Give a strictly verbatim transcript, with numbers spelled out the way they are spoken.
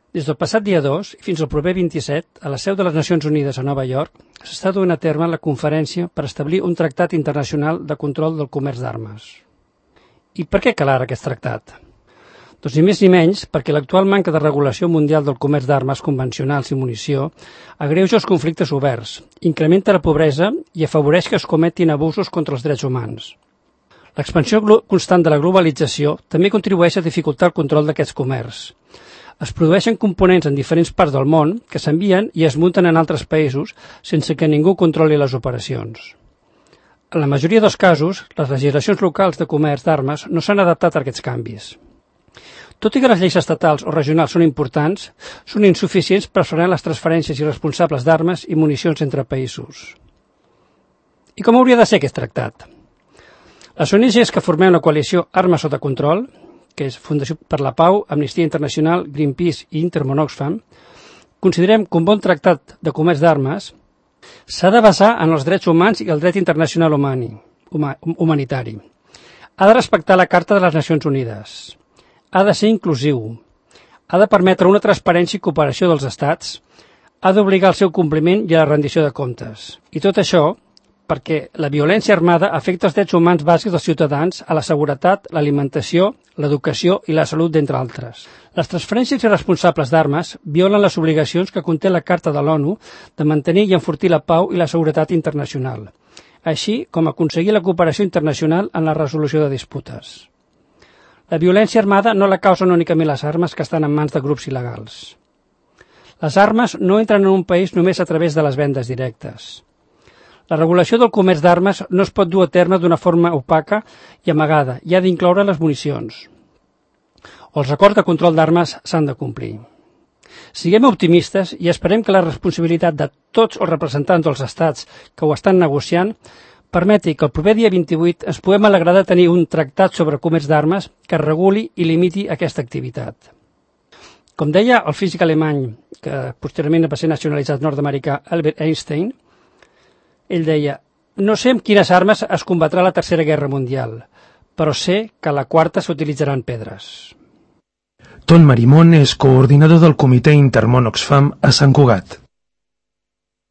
Des del passat dia dos i fins al proper vint-i-set, a la seu de les Nacions Unides a Nova York, s'està duent a terme la conferència per establir un tractat internacional de control del comerç d'armes. I per què cal ara aquest tractat? Doncs ni més ni menys perquè l'actual manca de regulació mundial del comerç d'armes convencionals i munició agreuja els conflictes oberts, incrementa la pobresa i afavoreix que es cometin abusos contra els drets humans. L'expansió constant de la globalització també contribueix a dificultar el control d'aquests comerç. Es produeixen components en diferents parts del món que s'envien i es munten en altres països sense que ningú controli les operacions. En la majoria dels casos, les legislacions locals de comerç d'armes no s'han adaptat a aquests canvis. Tot i que les lleis estatals o regionals són importants, són insuficients per frenar les transferències irresponsables d'armes i municions entre països. I com hauria de ser aquest tractat? Les O N Ges que formem la coalició Armes sota control, que és Fundació per la Pau, Amnistia Internacional, Greenpeace i Intermón Oxfam, considerem que un bon tractat de comerç d'armes s'ha de basar en els drets humans i el dret internacional humani, huma, humanitari. Ha de respectar la Carta de les Nacions Unides. Ha de ser inclusiu. Ha de permetre una transparència i cooperació dels estats. Ha d'obligar al seu compliment i a la rendició de comptes. I tot això perquè la violència armada afecta els drets humans bàsics dels ciutadans a la seguretat, l'alimentació, l'educació i la salut, d'entre altres. Les transferències irresponsables d'armes violen les obligacions que conté la Carta de l'ONU de mantenir i enfortir la pau i la seguretat internacional, així com aconseguir la cooperació internacional en la resolució de disputes. La violència armada no la causen únicament les armes que estan en mans de grups il·legals. Les armes no entren en un país només a través de les vendes directes. La regulació del comerç d'armes no es pot dur a terme d'una forma opaca i amagada i ha d'incloure les municions. Els acords de control d'armes s'han de complir. Siguem optimistes i esperem que la responsabilitat de tots els representants dels estats que ho estan negociant permeti que el proper dia vint-i-vuit ens puguem alegrar de tenir un tractat sobre comerç d'armes que reguli i limiti aquesta activitat. Com deia el físic alemany, que posteriorment va ser nacionalitzat nord-americà, Albert Einstein, ell deia: no sé amb quines armes es combatrà la Tercera Guerra Mundial, però sé que a la quarta s'utilitzaran pedres. Ton Marimón és coordinador del Comitè Intermón Oxfam a Sant Cugat.